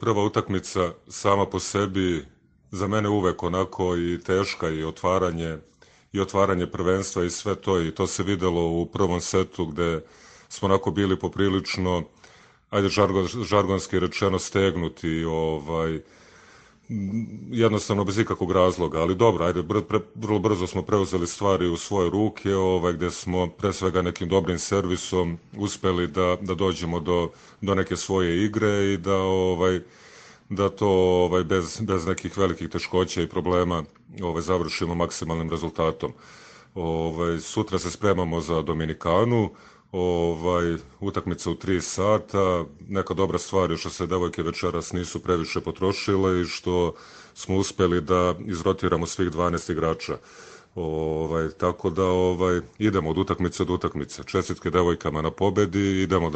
prva utakmica sama po sebi za mene uvek onako i teška i otvaranje prvenstva i sve to i to se videlo u prvom setu gde smo onako bili poprilično, ajde žargonski rečeno, stegnuti, jednostavno bez ikakvog razloga, ali dobro, ajde, vrlo brzo smo preuzeli stvari u svoje ruke, gde smo pre svega nekim dobrim servisom uspeli da dođemo do neke svoje igre i da to bez nekih velikih teškoća i problema završimo maksimalnim rezultatom. Sutra se spremamo za Dominikanu, utakmica u 3 sata, neka dobra stvar je što se devojke večeras nisu previše potrošile i što smo uspeli da izrotiramo svih 12 igrača. Tako da idemo od utakmice do utakmice. Čestitke devojkama na pobedi i idemo dalje.